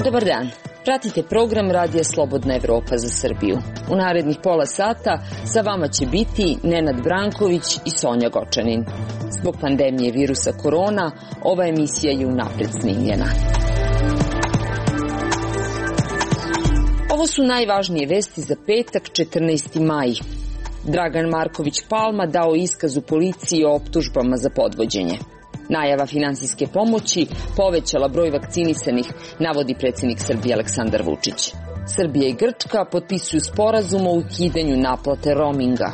Dobar dan. Pratite program Radija Slobodna Evropa za Srbiju. U narednih pola sata sa vama će biti Nenad Branković i Sonja Gočanin. Zbog pandemije virusa korona, ova emisija je unapred snimljena. Ovo su najvažnije vesti za petak, 14. maj. Dragan Marković Palma dao iskaz u policiji o optužbama za podvođenje. Najava finansijske pomoći povećala broj vakcinisanih, navodi predsjednik Srbije Aleksandar Vučić. Srbija i Grčka potpisuju sporazum o ukidanju naplate roaminga.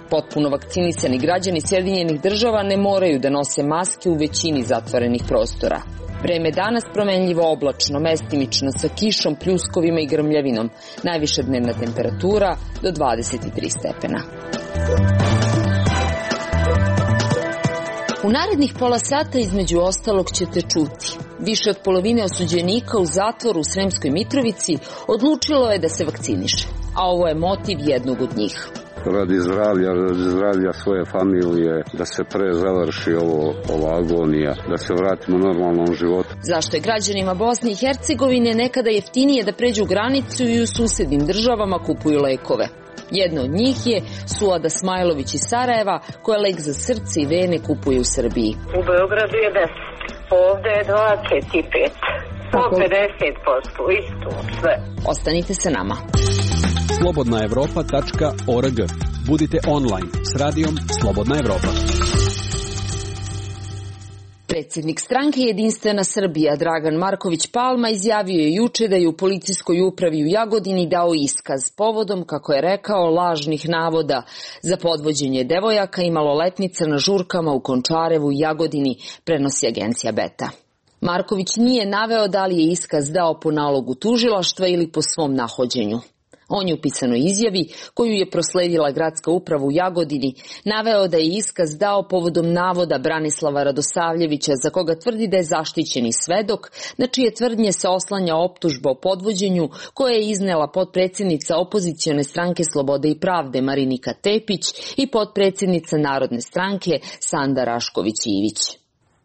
Potpuno vakcinisani građani Sjedinjenih Država ne moraju da nose maske u većini zatvorenih prostora. Vreme danas promenljivo oblačno, mestimično sa kišom, pljuskovima i grmljavinom. Najviša dnevna temperatura do 23 stepena. U narednih pola sata između ostalog ćete čuti. Više od polovine osuđenika u zatvoru u Sremskoj Mitrovici odlučilo je da se vakciniše, a ovo je motiv jednog od njih. Radi zdravlja svoje familije, da se pre završi ova agonija, da se vratimo normalnom životu. Zašto je građanima Bosne i Hercegovine nekada jeftinije da pređu granicu i u susednim državama kupuju lekove? Jedno od njih je Suada Smajlović iz Sarajeva, koja lek za srce i vene kupuje u Srbiji. U Beogradu je 10, ovde je 25, po 50%, isto sve. Ostanite sa nama. slobodnaevropa.org. Budite online s radijom Slobodna Evropa. Predsjednik stranke Jedinstvena Srbija Dragan Marković Palma izjavio je juče da je u policijskoj upravi u Jagodini dao iskaz povodom, kako je rekao, lažnih navoda za podvođenje devojaka i maloletnica na žurkama u Končarevu i Jagodini, prenosi agencija Beta. Marković nije naveo da li je iskaz dao po nalogu tužilaštva ili po svom nahođenju. On je u pisanoj izjavi, koju je prosledila gradska uprava u Jagodini, naveo da je iskaz dao povodom navoda Branislava Radosavljevića, za koga tvrdi da je zaštićeni svedok, na čije tvrdnje se oslanja optužba o podvođenju koje je iznela potpredsjednica opozicione stranke Slobode i pravde Marinika Tepić i potpredsjednica Narodne stranke Sanda Rašković-Ivić.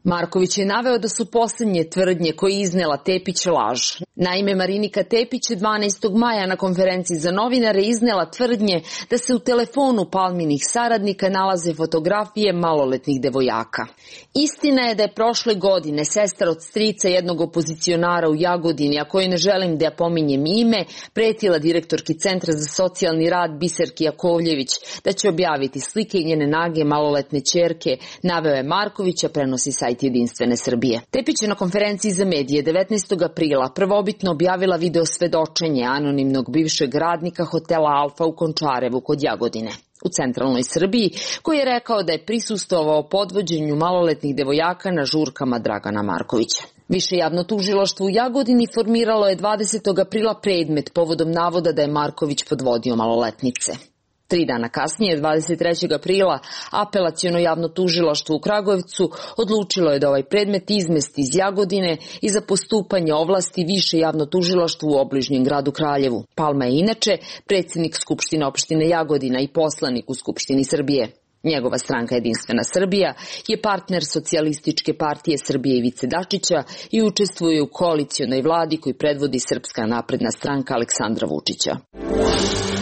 Marković je naveo da su posljednje tvrdnje koje je iznela Tepić laž. Naime, Marinika Tepić 12. maja na konferenciji za novinare iznela tvrdnje da se u telefonu Palminih saradnika nalaze fotografije maloletnih devojaka. Istina je da je prošle godine sestra od strica jednog opozicionara u Jagodini, a koju ne želim da pominjem ime, pretila direktorki Centra za socijalni rad Biserki Jakovljević da će objaviti slike njene nage maloletne ćerke, naveo je Marković, a prenosi sajt Jedinstvene Srbije. Tepić je na konferenciji za medije 19. aprila prvobitno objavila video svedočenje anonimnog bivšeg radnika hotela Alfa u Končarevu kod Jagodine u centralnoj Srbiji, koji je rekao da je prisustvovao podvođenju maloletnih devojaka na žurkama Dragana Markovića. Više javno tužilaštvo u Jagodini formiralo je 20. aprila predmet povodom navoda da je Marković podvodio maloletnice. 3 dana kasnije, 23. aprila, apelaciono javno tužilaštvo u Kragujevcu odlučilo je da ovaj predmet izmesti iz Jagodine i za postupanje ovlasti više javno tužilaštvo u obližnjem gradu Kraljevu. Palma je inače predsjednik Skupštine opštine Jagodina i poslanik u Skupštini Srbije. Njegova stranka Jedinstvena Srbija je partner Socijalističke partije Srbije Ivice Dačića i učestvuje u koalicionoj vladi koju predvodi Srpska napredna stranka Aleksandra Vučića.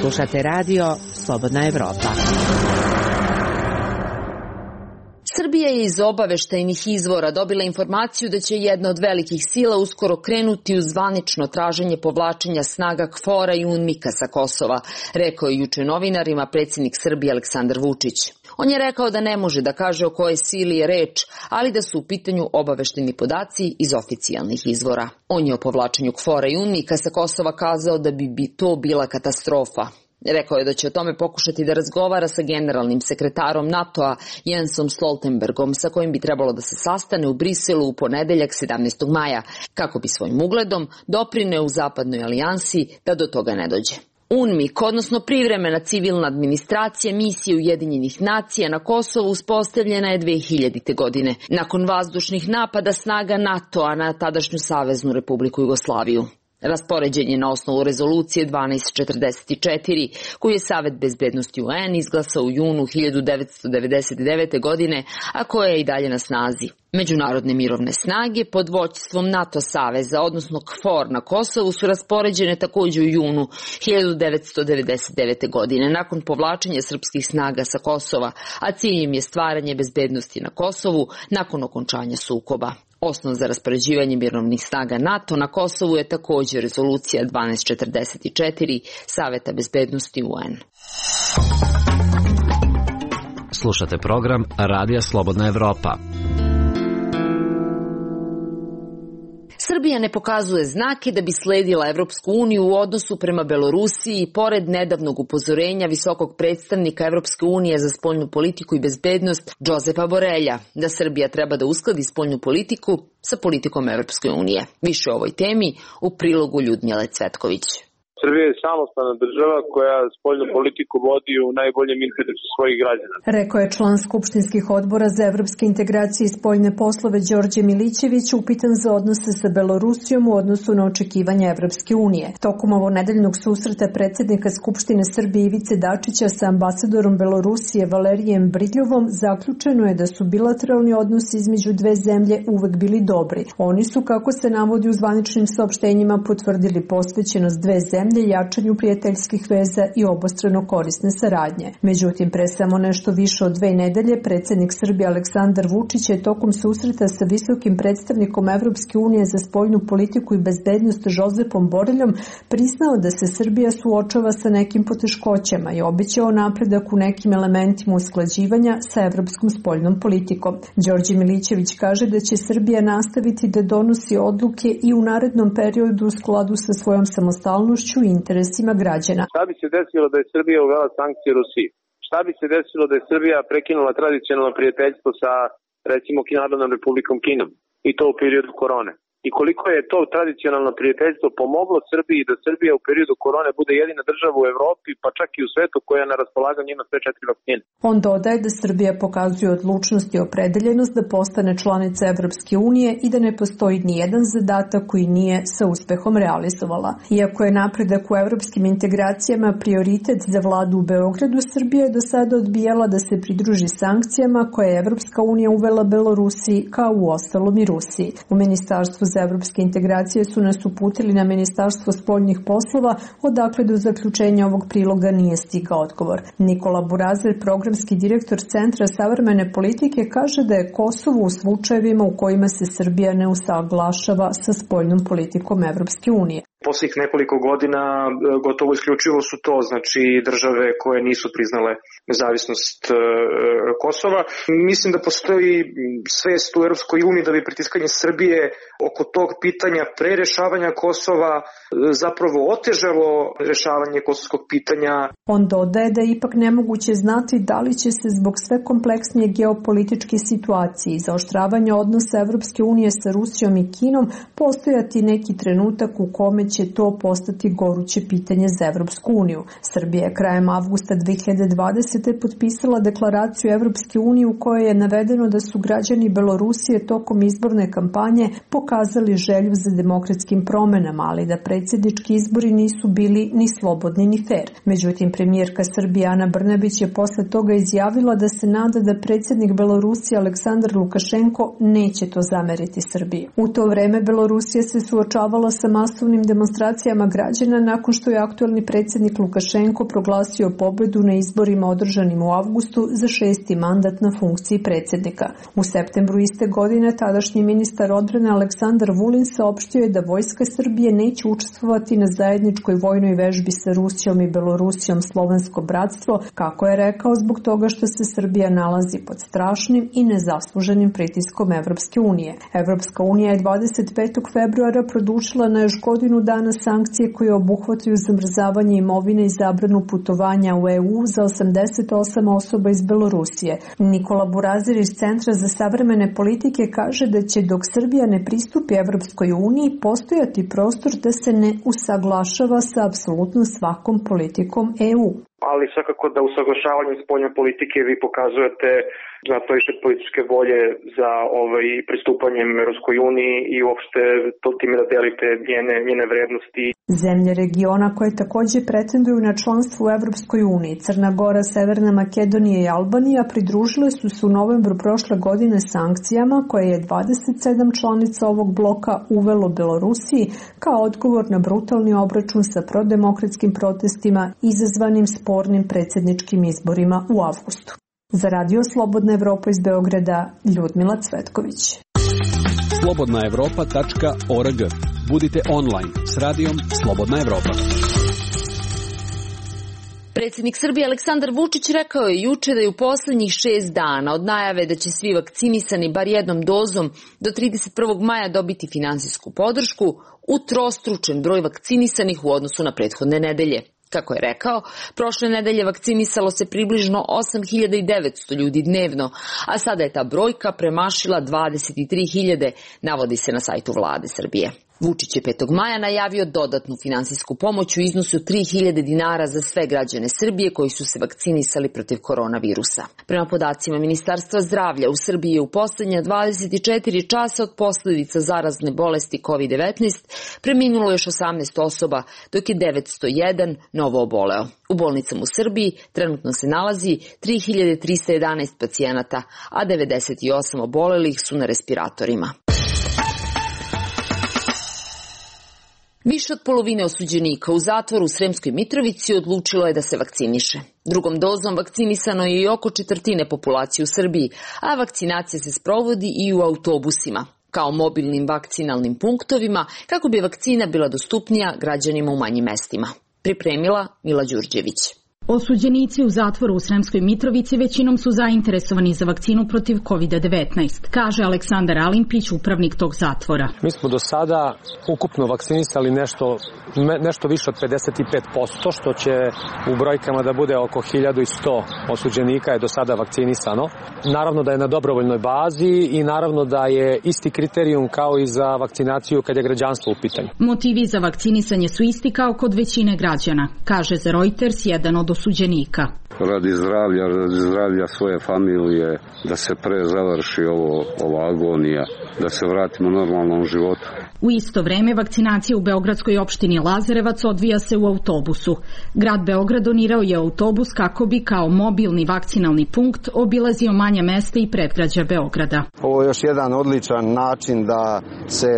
Slušate radio Slobodna Evropa. Srbija je iz obaveštajnih izvora dobila informaciju da će jedna od velikih sila uskoro krenuti u zvanično traženje povlačenja snaga KFOR-a i UNMIK-a sa Kosova, rekao je juče novinarima predsjednik Srbije Aleksandar Vučić. On je rekao da ne može da kaže o kojoj sili je reč, ali da su u pitanju obaveštajni podaci iz oficijalnih izvora. On je o povlačenju KFOR-a i UNMIK-a sa Kosova kazao da bi to bila katastrofa. Rekao je da će o tome pokušati da razgovara sa generalnim sekretarom NATO-a Jensom Stoltenbergom, sa kojim bi trebalo da se sastane u Briselu u ponedeljak 17. maja, kako bi svojim ugledom doprineo u zapadnoj alijansi da do toga ne dođe. UNMIK, odnosno privremena civilna administracija misije Ujedinjenih nacija na Kosovu, uspostavljena je 2000. godine, nakon vazdušnih napada snaga NATO-a na tadašnju Saveznu Republiku Jugoslaviju. Raspoređen je na osnovu rezolucije 1244, koju je Savet bezbednosti UN izglasao u junu 1999. godine, a koja je i dalje na snazi. Međunarodne mirovne snage pod vođstvom NATO saveza, odnosno KFOR na Kosovu, su raspoređene takođe u junu 1999. godine, nakon povlačenja srpskih snaga sa Kosova, a cilj im je stvaranje bezbednosti na Kosovu nakon okončanja sukoba. Osnov za raspoređivanje mirovnih snaga NATO na Kosovu je takođe rezolucija 1244 Saveta bezbednosti UN. Slušate program Radija Slobodna Evropa. Srbija ne pokazuje znake da bi sledila Evropsku uniju u odnosu prema Belorusiji, pored nedavnog upozorenja visokog predstavnika Evropske unije za spoljnu politiku i bezbednost Josepa Borelja, da Srbija treba da uskladi spoljnu politiku sa politikom Evropske unije. Više o ovoj temi u prilogu Ljudmile Cvetković. Srbija je samostalna država koja spoljnu politiku vodi u najboljem interesu svojih građana. Rekao je član skupštinskih odbora za evropske integracije i spoljne poslove Đorđe Milićević, upitan za odnose sa Belorusijom u odnosu na očekivanja Evropske unije. Tokom ovonedeljnog susreta predsjednika Skupštine Srbije Ivice Dačića sa ambasadorom Belorusije Valerijem Bridljovom zaključeno je da su bilateralni odnosi između dve zemlje uvek bili dobri. Oni su, kako se navodi u zvaničnim saopštenjima, potvrdili posvećenost dve zemlje jačanju prijateljskih veza i obostrano korisne saradnje. Međutim, pre samo nešto više od 2 nedelje, predsjednik Srbije Aleksandar Vučić je tokom susreta sa visokim predstavnikom Evropske unije za spoljnu politiku i bezbednost Josepom Boreljom priznao da se Srbija suočava sa nekim poteškoćama i obećao napredak u nekim elementima usklađivanja sa evropskom spoljnom politikom. Đorđe Milićević kaže da će Srbija nastaviti da donosi odluke i u narednom periodu u skladu sa svojom samostalnošću i interesima građana. Šta bi se desilo da je Srbija uvela sankcije Rusiji? Šta bi se desilo da je Srbija prekinula tradicionalno prijateljstvo sa, recimo, Narodnom Republikom Kinom i to u periodu korone? I koliko je to tradicionalno prijateljstvo pomoglo Srbiji da Srbija u periodu korone bude jedina država u Evropi, pa čak i u svetu koja na raspolaganju ima sve 4 vakcine. On dodaje da Srbija pokazuje odlučnost i opredeljenost da postane članica Evropske unije i da ne postoji ni jedan zadatak koji nije sa uspehom realizovala. Iako je napredak u evropskim integracijama prioritet za vladu u Beogradu, Srbija je do sada odbijala da se pridruži sankcijama koje je Evropska unija uvela Belorusiji, kao u ostalom i Rusiji. U Ministarstvu za evropske integracije su nas uputili na Ministarstvo spoljnih poslova, odakle do zaključenja ovog priloga nije stigao odgovor. Nikola Burazer, programski direktor Centra savremene politike, kaže da je Kosovo u slučajevima u kojima se Srbija ne usaglašava sa spoljnom politikom Evropske unije. Posljednjih nekoliko godina gotovo isključivo su to, znači, države koje nisu priznale nezavisnost Kosova. Mislim da postoji svest u Europskoj uniji da bi pritiskanje Srbije oko tog pitanja pre rešavanja Kosova zapravo otežalo rešavanje kosovskog pitanja. On dodaje da je ipak nemoguće znati da li će se zbog sve kompleksnije geopolitičke situacije i zaoštravanja odnosa Evropske unije sa Rusijom i Kinom postojati neki trenutak u kome će to postati goruće pitanje za Evropsku uniju. Srbija je krajem avgusta 2020. potpisala deklaraciju Evropske unije u kojoj je navedeno da su građani Belorusije tokom izborne kampanje pokazali želju za demokratskim promenama, ali da predsjednički izbori nisu bili ni slobodni ni fer. Međutim, premijerka Srbije Ana Brnabić je posle toga izjavila da se nada da predsjednik Belorusije Aleksandar Lukašenko neće to zameriti Srbiji. U to vreme Belorusija se suočavala sa masovnim demonstracijama građana nakon što je aktuelni predsjednik Lukašenko proglasio pobedu na izborima održanim u avgustu za 6. mandat na funkciji predsjednika. U septembru iste godine tadašnji ministar odbrane Aleksandar Vulin saopštio je da vojska Srbije neće učestvovati na zajedničkoj vojnoj vežbi sa Rusijom i Belorusijom Slovensko bratstvo, kako je rekao, zbog toga što se Srbija nalazi pod strašnim i nezasluženim pritiskom Evropske unije. Evropska unija je 25. februara produžila na još godinu dana sankcije koje obuhvataju zamrzavanje imovine i zabranu putovanja u EU za 88 osoba iz Belorusije. Nikola Burazer iz Centra za savremene politike kaže da će dok Srbija ne pristupi Evropskoj uniji postojati prostor da se ne usaglašava sa apsolutno svakom politikom EU. Ali svakako da usaglašavanjem spoljne politike vi pokazujete za previše političke volje za pristupanjem Evropskoj uniji i uopšte time da delite njene vrednosti. Zemlje regiona koje takođe pretenduju na članstvo u Evropskoj uniji, Crna Gora, Severna Makedonija i Albanija, pridružile su se u novembru prošle godine sankcijama koje je 27 članica ovog bloka uvelo Belorusiji kao odgovor na brutalni obračun sa prodemokratskim protestima izazvanim spornim predsjedničkim izborima u avgustu. Za Radio Slobodna Evropa iz Beograda, Ljudmila Cvetković. slobodnaevropa.org. Budite online s radijom Slobodna Evropa. Predsjednik Srbije Aleksandar Vučić rekao je juče da je u poslednjih 6 dana od najave da će svi vakcinisani bar jednom dozom do 31. maja dobiti finansijsku podršku utrostručen broj vakcinisanih u odnosu na prethodne nedelje. Kako je rekao, prošle nedelje vakcinisalo se približno 8.900 ljudi dnevno, a sada je ta brojka premašila 23.000, navodi se na sajtu Vlade Srbije. Vučić je 5. maja najavio dodatnu finansijsku pomoć u iznosu 3.000 dinara za sve građane Srbije koji su se vakcinisali protiv koronavirusa. Prema podacima Ministarstva zdravlja, u Srbiji je u poslednja 24 časa od posljedica zarazne bolesti COVID-19 preminulo još 18 osoba, dok je 901 novo oboleo. U bolnicama u Srbiji trenutno se nalazi 3.311 pacijenata, a 98 obolelih su na respiratorima. Više od polovine osuđenika u zatvoru u Sremskoj Mitrovici odlučilo je da se vakciniše. Drugom dozom vakcinisano je i oko četvrtine populacije u Srbiji, a vakcinacija se sprovodi i u autobusima, kao mobilnim vakcinalnim punktovima, kako bi vakcina bila dostupnija građanima u manjim mestima. Pripremila Mila Đurđević. Osuđenici u zatvoru u Sremskoj Mitrovici većinom su zainteresovani za vakcinu protiv COVID-19, kaže Aleksandar Alimpić, upravnik tog zatvora. Mi smo do sada ukupno vakcinisali nešto više od 55%, što će u brojkama da bude oko 1100 osuđenika je do sada vakcinisano. Naravno da je na dobrovoljnoj bazi i naravno da je isti kriterijum kao i za vakcinaciju kad je građanstvo u pitanju. Motivi za vakcinisanje su isti kao kod većine građana, kaže za Reuters jedan od osuđenika. Radi zdravlja svoje familije, da se pre završi ova agonija, da se vratimo normalnom životu. U isto vreme vakcinacija u beogradskoj opštini Lazarevac odvija se u autobusu. Grad Beograd donirao je autobus kako bi kao mobilni vakcinalni punkt obilazio manja mesta i predgrađa Beograda. Ovo je još jedan odličan način da se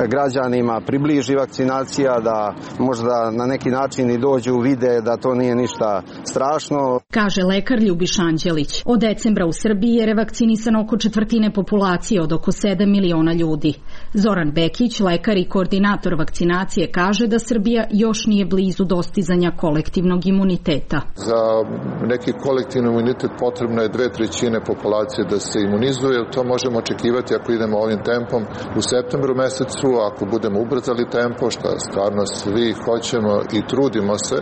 građanima približi vakcinacija, da možda na neki način i dođu vide da to nije ništa strašno. Kaže lekar Ljubiša Anđelić. Od decembra u Srbiji je revakcinisano oko četvrtine populacije od oko 7 miliona ljudi. Zoran Bekić, lekar i koordinator vakcinacije, kaže da Srbija još nije blizu dostizanja kolektivnog imuniteta. Za neki kolektivni imunitet potrebno je 2/3 populacije da se imunizuje. To možemo očekivati ako idemo ovim tempom u septembru mesecu, ako budemo ubrzali tempo, što stvarno svi hoćemo i trudimo se,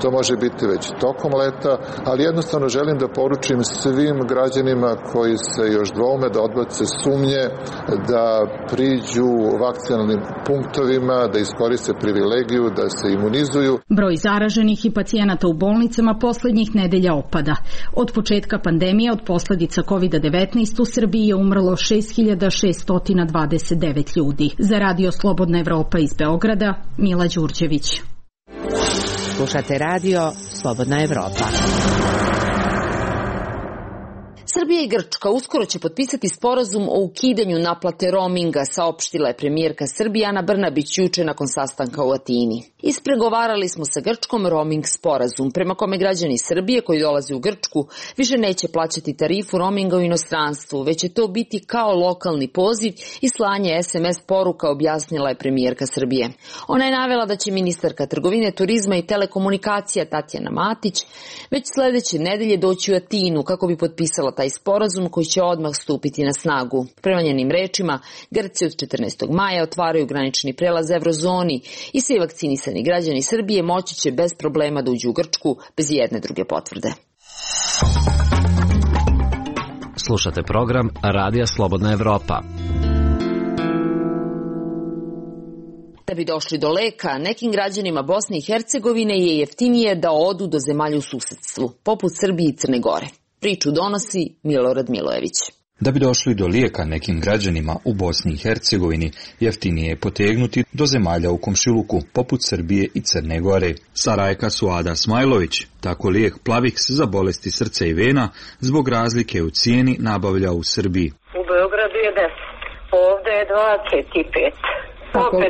to može biti već tokom leta, ali jednostavno želim da poručim svim građanima koji se još dvoume da odbace sumnje, da priđu vakcinalnim punktovima, da iskoriste privilegiju, da se imunizuju. Broj zaraženih i pacijenata u bolnicama poslednjih nedelja opada. Od početka pandemije od posledica COVID-19 u Srbiji je umrlo 6.629 ljudi. Za Radio Slobodna Evropa iz Beograda, Mila Đurđević. Slušate Radio Slobodna Evropa. Srbija i Grčka uskoro će potpisati sporazum o ukidanju naplate roaminga, saopštila je premijerka Srbije Ana Brnabić juče nakon sastanka u Atini. Ispregovarali smo sa Grčkom roaming sporazum, prema kome građani Srbije koji dolaze u Grčku više neće plaćati tarifu roaminga u inostranstvu, već će to biti kao lokalni poziv i slanje SMS poruka, objasnila je premijerka Srbije. Ona je navela da će ministarka trgovine, turizma i telekomunikacija Tatjana Matić već sledeće nedelje doći u Atinu kako bi potpisala taj sporazum koji će odmah stupiti na snagu. Prema njenim rečima, Grci od 14. maja otvaraju granični prelaz Evrozoni i svi vakcinisani građani Srbije moći će bez problema da uđu u Grčku bez jedne druge potvrde. Slušate program Radija Slobodna Evropa. Da bi došli do leka, nekim građanima Bosne i Hercegovine je jeftinije da odu do zemalja u susedstvu, poput Srbije i Crne Gore. Priču donosi Milorad Milojević. Da bi došli do lijeka nekim građanima u Bosni i Hercegovini, jeftinije je potegnuti do zemalja u komšiluku, poput Srbije i Crne Gore. Sarajka Suada Smajlović tako lijek Plavix za bolesti srca i vena zbog razlike u cijeni nabavlja u Srbiji. U Beogradu je 10, ovdje je 25, po 50%,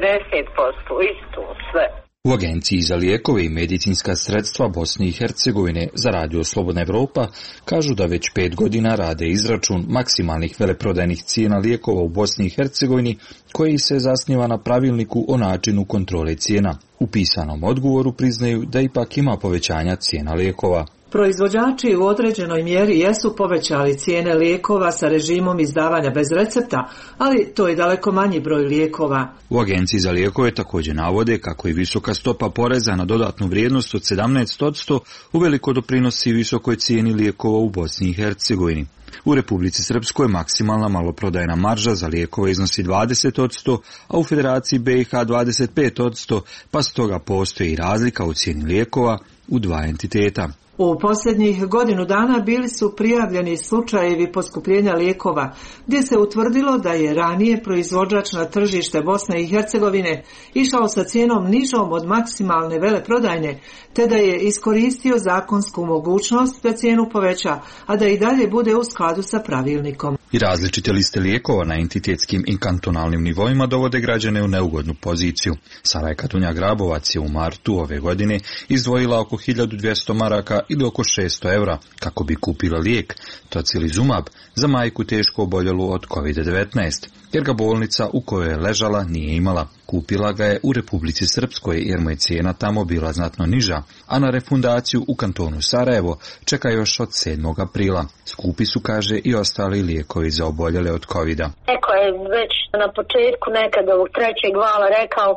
isto sve. U Agenciji za lijekove i medicinska sredstva Bosne i Hercegovine za Radio Slobodna Evropa kažu da već 5 godina rade izračun maksimalnih veleprodajnih cijena lijekova u Bosni i Hercegovini koji se zasniva na pravilniku o načinu kontrole cijena. U pisanom odgovoru priznaju da ipak ima povećanja cijena lijekova. Proizvođači u određenoj mjeri jesu povećali cijene lijekova sa režimom izdavanja bez recepta, ali to je daleko manji broj lijekova. U Agenciji za lijekove također navode kako i visoka stopa poreza na dodatnu vrijednost od 17% uveliko doprinosi visokoj cijeni lijekova u Bosni i Hercegovini. U Republici Srpskoj maksimalna maloprodajna marža za lijekove iznosi 20%, a u Federaciji BiH 25%, pa stoga postoji razlika u cijeni lijekova u dva entiteta. U posljednjih godinu dana bili su prijavljeni slučajevi poskupljenja lijekova, gdje se utvrdilo da je ranije proizvođač na tržište Bosne i Hercegovine išao sa cijenom nižom od maksimalne veleprodajne, te da je iskoristio zakonsku mogućnost da cijenu poveća, a da i dalje bude u skladu sa pravilnikom. I različite liste lijekova na entitetskim i kantonalnim nivoima dovode građane u neugodnu poziciju. Sarajka Dunja Grabovac je u martu ove godine izdvojila oko 1200 maraka ili oko 600 evra kako bi kupila lijek Tocilizumab za majku teško oboljelu od COVID-19, jer ga bolnica u kojoj je ležala nije imala. Kupila ga je u Republici Srpskoj jer mu je cijena tamo bila znatno niža, a na refundaciju u kantonu Sarajevo čeka još od 7. aprila. Skupi su, kaže, i ostali lijekovi za oboljele od COVID-a. Neko je već na početku nekada ovog 3. vala rekao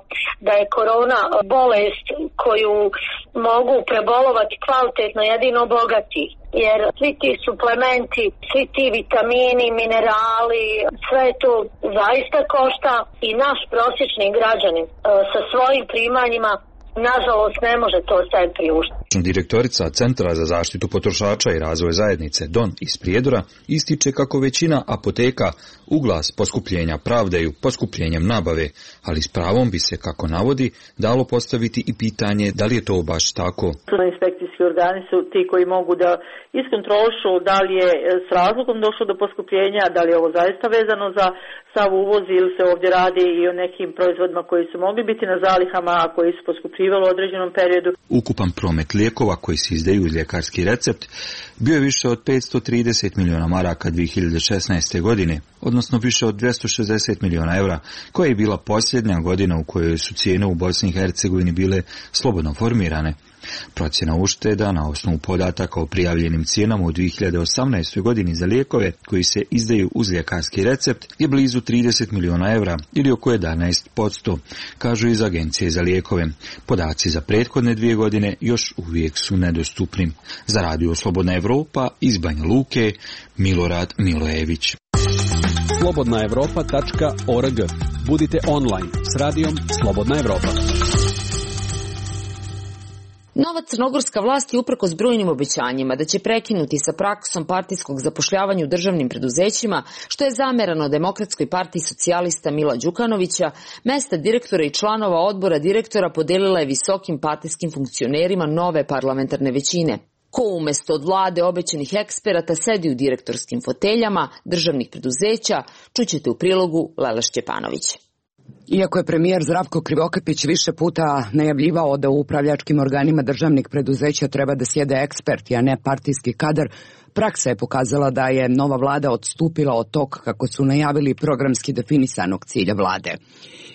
da je korona bolest koju mogu prebolovati kvalitetno jedino bogati. Jer svi ti suplementi, svi ti vitamini, minerali, sve to zaista košta i naš prosječni građanin sa svojim primanjima nažalost ne može to sve priuštiti. Direktorica Centra za zaštitu potrošača i razvoj zajednice Don iz Prijedora ističe kako većina apoteka u glas poskupljenja pravdaju poskupljenjem nabave, ali s pravom bi se, kako navodi, dalo postaviti i pitanje da li je to baš tako. Inspekcijski organi su ti koji mogu da iskontrolišu da li je s razlogom došlo do poskupljenja, da li je ovo zaista vezano za sav uvoz ili se ovdje radi i o nekim proizvodima koji su mogli biti na zalihama, a koji su poskupljivali u određenom periodu. Ukupan promet lijekova koji se izdaju uz ljekarski recept bio je više od 530 miliona maraka 2016. godine, odnosno više od 260 miliona evra, koja je bila posljednja godina u kojoj su cijene u Bosni i Hercegovini bile slobodno formirane. Procjena ušteda na osnovu podataka o prijavljenim cijenama u 2018. godini za lijekove koji se izdaju uz ljekarski recept je blizu 30 miliona evra ili oko 11%, kažu iz Agencije za lijekove. Podaci za prethodne 2 godine još uvijek su nedostupni. Za Radio Slobodna Evropa iz Banja Luke, Milorad Milojević. slobodnaevropa.org. Budite online s radijom Slobodna Evropa. Nova crnogorska vlast je uprkos brojnim obećanjima da će prekinuti sa praksom partijskog zapošljavanja u državnim preduzećima, što je zamerano Demokratskoj partiji socijalista Mila Đukanovića, mesta direktora i članova odbora direktora podelila je visokim partijskim funkcionerima nove parlamentarne većine. Ko umjesto od vlade obećanih eksperata sedi u direktorskim foteljama državnih preduzeća, čućete u prilogu Lela Šćepanović. Iako je premijer Zdravko Krivokapić više puta najavljivao da u upravljačkim organima državnih preduzeća treba da sjede eksperti, a ne partijski kadar, praksa je pokazala da je nova vlada odstupila od tog, kako su najavili, programski definisanog cilja vlade.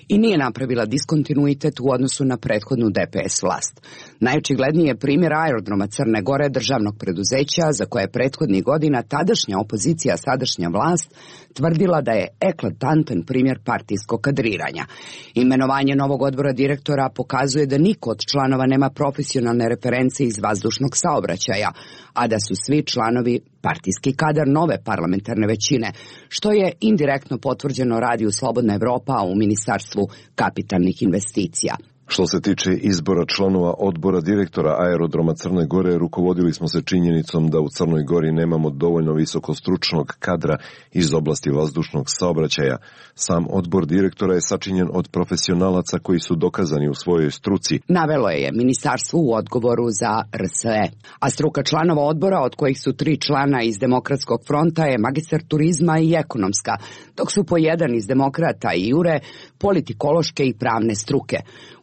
I nije napravila diskontinuitet u odnosu na prethodnu DPS vlast. Najočigledniji je primjer aerodroma Crne Gore, državnog preduzeća, za koje je prethodnih godina tadašnja opozicija, sadašnja vlast, tvrdila da je eklatantan primjer partijskog kadriranja. Imenovanje novog odbora direktora pokazuje da niko od članova nema profesionalne reference iz vazdušnog saobraćaja, a da su svi članovi partijski kadar nove parlamentarne većine, što je indirektno potvrđeno Radio Slobodna Evropa u Ministarstvu kapitalnih investicija. Što se tiče izbora članova odbora direktora aerodroma Crne Gore, rukovodili smo se činjenicom da u Crnoj Gori nemamo dovoljno visokostručnog kadra iz oblasti vazdušnog saobraćaja. Sam odbor direktora je sačinjen od profesionalaca koji su dokazani u svojoj struci. Navelo je ministarstvo u odgovoru za RSE. A struka članova odbora, od kojih su 3 člana iz Demokratskog fronta, je magistar turizma i ekonomska, dok su po 1 iz Demokrata i Jure politikološke i pravne struke.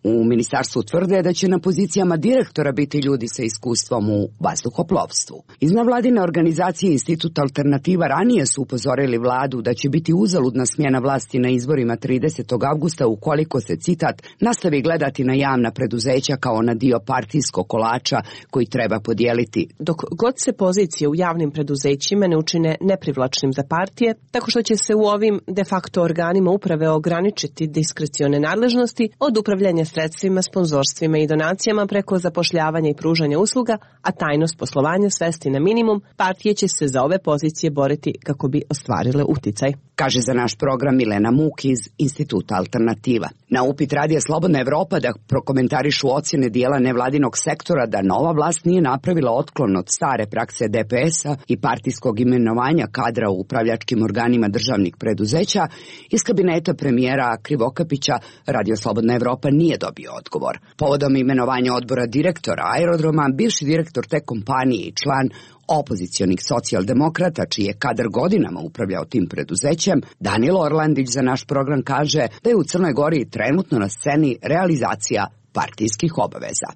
U ministarstvu tvrde da će na pozicijama direktora biti ljudi sa iskustvom u vazduhoplovstvu. Iz nevladine organizacije Institut Alternativa ranije su upozorili vladu da će biti uzaludna smjena vlasti na izborima 30. avgusta ukoliko se, citat, nastavi gledati na javna preduzeća kao na dio partijskog kolača koji treba podijeliti. Dok god se pozicije u javnim preduzećima ne učine neprivlačnim za partije, tako što će se u ovim de facto organima uprave ograničiti diskrecione nadležnosti od upravljanja sredstvima, sponzorstvima i donacijama preko zapošljavanja i pružanja usluga, a tajnost poslovanja svesti na minimum, partije će se za ove pozicije boriti kako bi ostvarile uticaj. Kaže za naš program Milena Muk iz Instituta Alternativa. Na upit Radija Slobodna Evropa da prokomentarišu ocjene dijela nevladinog sektora da nova vlast nije napravila otklon od stare prakse DPS-a i partijskog imenovanja kadra u upravljačkim organima državnih preduzeća, iz kabineta premijera Krivokapića Radio Slobodna Evropa nije dobio odgovor. Povodom imenovanja odbora direktora aerodroma, bivši direktor te kompanije i član opozicionih socijaldemokrata, čiji je kadar godinama upravljao tim preduzećem, Danilo Orlandić za naš program kaže da je u Crnoj Gori trenutno na sceni realizacija partijskih obaveza.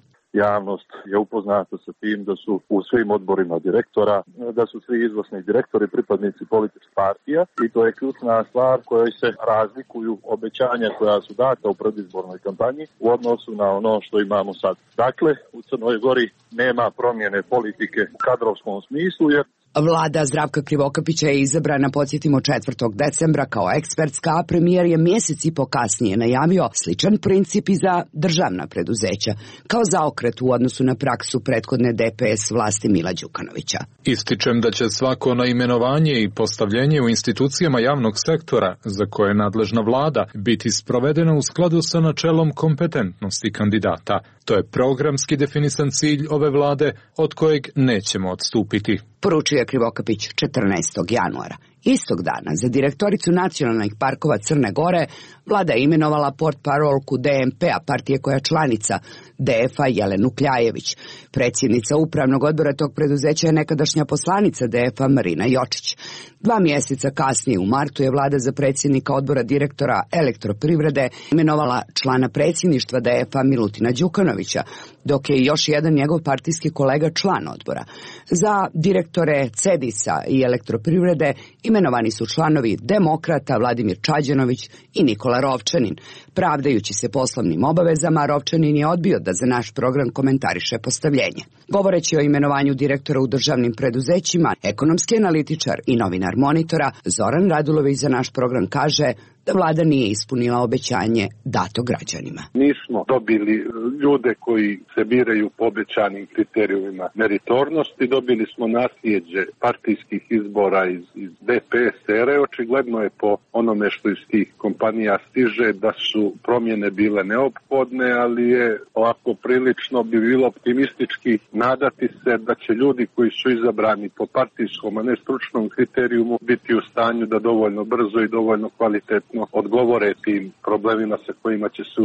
Javnost je upoznata sa tim da su u svim odborima direktora, da su svi izvršni direktori pripadnici političkih partija i to je ključna stvar kojoj se razlikuju obećanja koja su data u predizbornoj kampanji u odnosu na ono što imamo sad. Dakle, u Crnoj Gori nema promjene politike u kadrovskom smislu jer Vlada Zdravka Krivokapića je izabrana, podsjetimo, 4. decembra kao ekspertska, a premijer je mjesec i po kasnije najavio sličan princip i za državna preduzeća, kao zaokret u odnosu na praksu prethodne DPS vlasti Mila Đukanovića. Ističem da će svako naimenovanje i postavljenje u institucijama javnog sektora za koje je nadležna vlada biti sprovedeno u skladu sa načelom kompetentnosti kandidata. To je programski definisan cilj ove vlade od kojeg nećemo odstupiti. Poručio je Krivokapić 14. januara. Istog dana za direktoricu nacionalnih parkova Crne Gore vlada je imenovala portparolku DMP-a, partije koja je članica DF-a, Jelenu Kljajević. Predsjednica upravnog odbora tog preduzeća je nekadašnja poslanica DF-a Marina Jočić. 2 mjeseca kasnije u martu je vlada za predsjednika odbora direktora Elektroprivrede imenovala člana predsjedništva DF-a Milutina Đukanovića, dok je još jedan njegov partijski kolega član odbora. Za direktore Cedisa i Elektroprivrede imenovani su članovi Demokrata Vladimir Čađanović i Nikola Rovčanin. Pravdajući se poslovnim obavezama, Rovčanin je odbio da za naš program komentariše postavljenje. Govoreći o imenovanju direktora u državnim preduzećima, ekonomski analitičar i novinar Monitora Zoran Radulović za naš program kaže da vlada nije ispunila obećanje dato građanima. Nismo dobili ljude koji se biraju po obećanim kriterijumima meritornosti, dobili smo nasljeđe partijskih izbora iz DPS ere. Očigledno je po onome što iz tih kompanija stiže da su promjene bile neophodne, ali je ovako prilično bi bilo optimistički nadati se da će ljudi koji su izabrani po partijskom, a ne stručnom kriterijumu biti u stanju da dovoljno brzo i dovoljno kvalitetno odgovore tim problemima sa kojima će se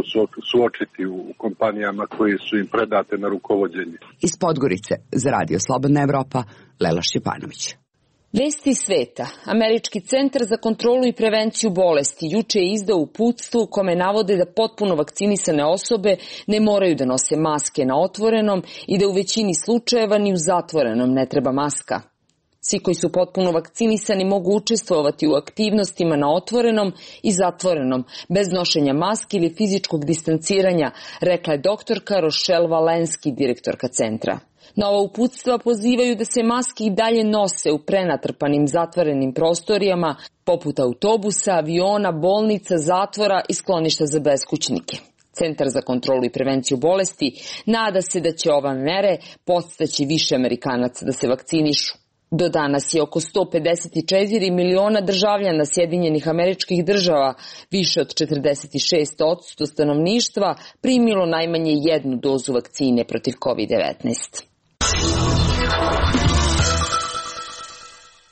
suočiti u kompanijama koji su im predate na rukovođenje. Iz Podgorice za Radio Slobodna Evropa, Lela Šćepanović. Vesti sveta. Američki centar za kontrolu i prevenciju bolesti juče je izdao uputstvo u kome navode da potpuno vakcinisane osobe ne moraju da nose maske na otvorenom i da u većini slučajeva ni u zatvorenom ne treba maska. Svi koji su potpuno vakcinisani mogu učestvovati u aktivnostima na otvorenom i zatvorenom, bez nošenja maske ili fizičkog distanciranja, rekla je doktorka Rochelle Valenski, direktorka centra. Nova uputstva pozivaju da se maske i dalje nose u prenatrpanim zatvorenim prostorijama, poput autobusa, aviona, bolnica, zatvora i skloništa za beskućnike. Centar za kontrolu i prevenciju bolesti nada se da će ova mere podstaći više Amerikanaca da se vakcinišu. Do danas je oko 154 miliona državljana Sjedinjenih Američkih Država, više od 46% stanovništva, primilo najmanje jednu dozu vakcine protiv COVID-19.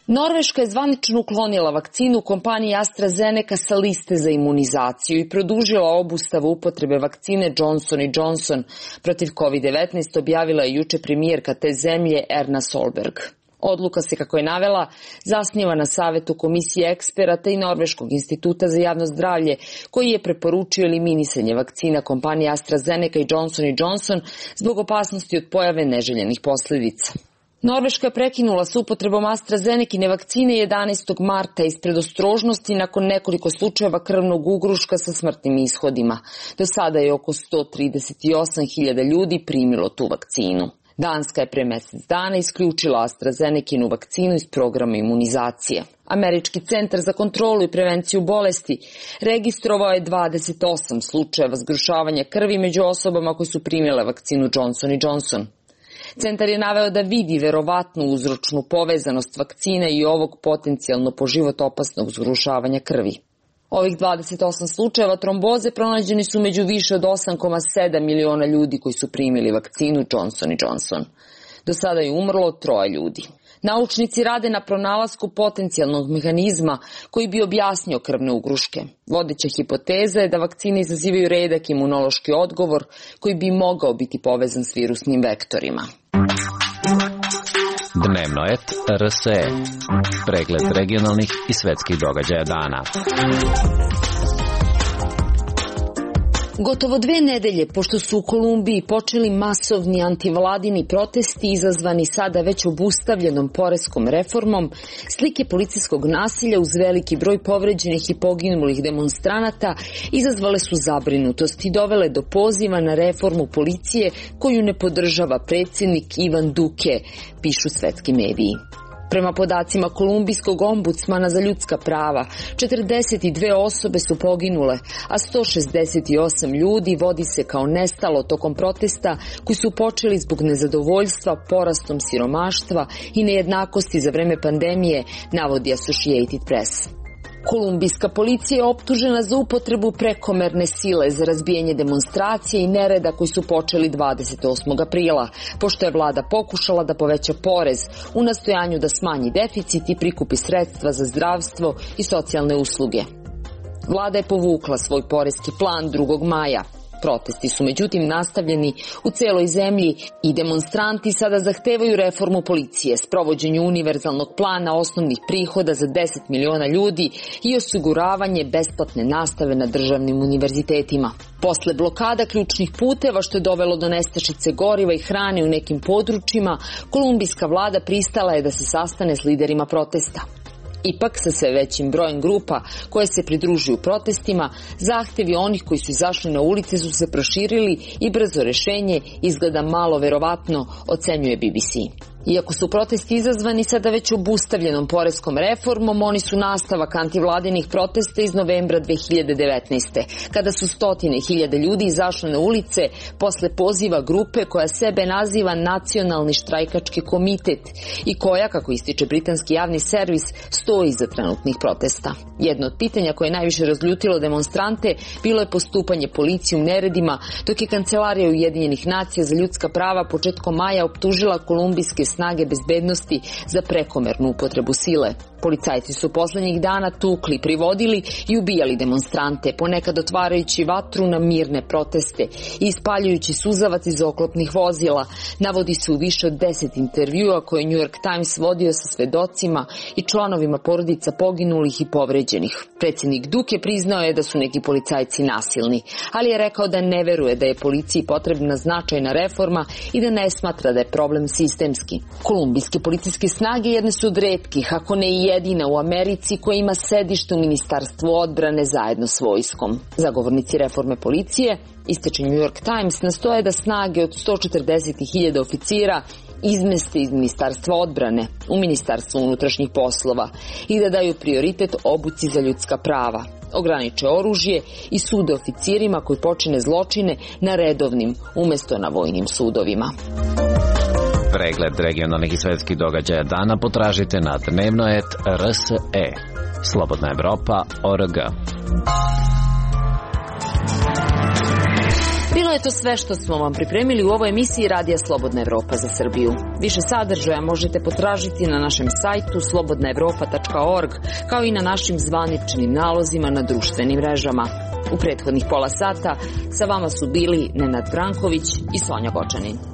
Norveška je zvanično uklonila vakcinu kompanije AstraZeneca sa liste za imunizaciju i produžila obustavu upotrebe vakcine Johnson & Johnson protiv COVID-19, objavila je juče premijerka te zemlje Erna Solberg. Odluka se, kako je navela, zasniva na savetu komisije eksperata i Norveškog instituta za javno zdravlje, koji je preporučio eliminisanje vakcina kompanije AstraZeneca i Johnson & Johnson zbog opasnosti od pojave neželjenih posljedica. Norveška je prekinula s upotrebom AstraZenecine vakcine 11. marta iz predostrožnosti nakon nekoliko slučajeva krvnog ugruška sa smrtnim ishodima. Do sada je oko 138.000 ljudi primilo tu vakcinu. Danska je pre mesec dana isključila AstraZenecinu vakcinu iz programa imunizacije. Američki centar za kontrolu i prevenciju bolesti registrovao je 28 slučajeva zgrušavanja krvi među osobama koji su primile vakcinu Johnson & Johnson. Centar je naveo da vidi verovatnu uzročnu povezanost vakcine i ovog potencijalno po život opasnog zgrušavanja krvi. Ovih 28 slučajeva tromboze pronađeni su među više od 8,7 miliona ljudi koji su primili vakcinu Johnson & Johnson. Do sada je umrlo 3 ljudi. Naučnici rade na pronalasku potencijalnog mehanizma koji bi objasnio krvne ugruške. Vodeća hipoteza je da vakcine izazivaju redak imunološki odgovor koji bi mogao biti povezan s virusnim vektorima. Dnevno et RSE. Pregled regionalnih i svetskih događaja dana. Gotovo 2 nedelje pošto su u Kolumbiji počeli masovni antivladini protesti izazvani sada već obustavljenom poreskom reformom, slike policijskog nasilja uz veliki broj povređenih i poginulih demonstranata izazvale su zabrinutost i dovele do poziva na reformu policije koju ne podržava predsjednik Ivan Duque, pišu svetski mediji. Prema podacima kolumbijskog ombudsmana za ljudska prava, 42 osobe su poginule, a 168 ljudi vodi se kao nestalo tokom protesta koji su počeli zbog nezadovoljstva porastom siromaštva i nejednakosti za vreme pandemije, navodi Associated Press. Kolumbijska policija je optužena za upotrebu prekomerne sile za razbijanje demonstracije i nereda koji su počeli 28. aprila, pošto je vlada pokušala da poveća porez u nastojanju da smanji deficit i prikupi sredstva za zdravstvo i socijalne usluge. Vlada je povukla svoj poreski plan 2. maja. Protesti su međutim nastavljeni u celoj zemlji i demonstranti sada zahtevaju reformu policije, sprovođenju univerzalnog plana osnovnih prihoda za 10 miliona ljudi i osiguravanje besplatne nastave na državnim univerzitetima. Posle blokada ključnih puteva, što je dovelo do nestašice goriva i hrane u nekim područjima, kolumbijska vlada pristala je da se sastane s liderima protesta. Ipak, sa sve većim brojem grupa koje se pridružuju protestima, zahtevi onih koji su izašli na ulice su se proširili i brzo rešenje izgleda malo verovatno, ocenjuje BBC. Iako su protesti izazvani sada već obustavljenom poreskom reformom, oni su nastavak antivladinih protesta iz novembra 2019. kada su 100.000 ljudi izašli na ulice posle poziva grupe koja sebe naziva Nacionalni štrajkački komitet i koja, kako ističe britanski javni servis, stoji iza trenutnih protesta. Jedno od pitanja koje je najviše razljutilo demonstrante bilo je postupanje policije u neredima, dok je Kancelarija Ujedinjenih nacija za ljudska prava početkom maja optužila kolumbijske snage bezbednosti za prekomernu upotrebu sile. Policajci su poslednjih dana tukli, privodili i ubijali demonstrante, ponekad otvarajući vatru na mirne proteste i ispaljujući suzavac iz oklopnih vozila, navodi se u više od 10 intervjua koje je New York Times vodio sa svedocima i članovima porodica poginulih i povređenih. Predsjednik Duque priznao je da su neki policajci nasilni, ali je rekao da ne veruje da je policiji potrebna značajna reforma i da ne smatra da je problem sistemski. Kolumbijske policijske snage jedne su od retkih, ako ne i jedina u Americi, koja ima sedište u Ministarstvu odbrane zajedno s vojskom. Zagovornici reforme policije, ističe New York Times, nastoje da snage od 140.000 oficira izmeste iz Ministarstva odbrane u Ministarstvo unutrašnjih poslova i da daju prioritet obuci za ljudska prava, ograniče oružje i sude oficirima koji počine zločine na redovnim umesto na vojnim sudovima. Pregled regionalnih i svetskih događaja dana potražite na dnevno.rs.e. Slobodna Evropa.org. Bilo je to sve što smo vam pripremili u ovoj emisiji Radija Slobodna Evropa za Srbiju. Više sadržaja možete potražiti na našem sajtu slobodnaevropa.org, kao i na našim zvaničnim nalozima na društvenim mrežama. U prethodnih pola sata sa vama su bili Nenad Branković i Sonja Gočanin.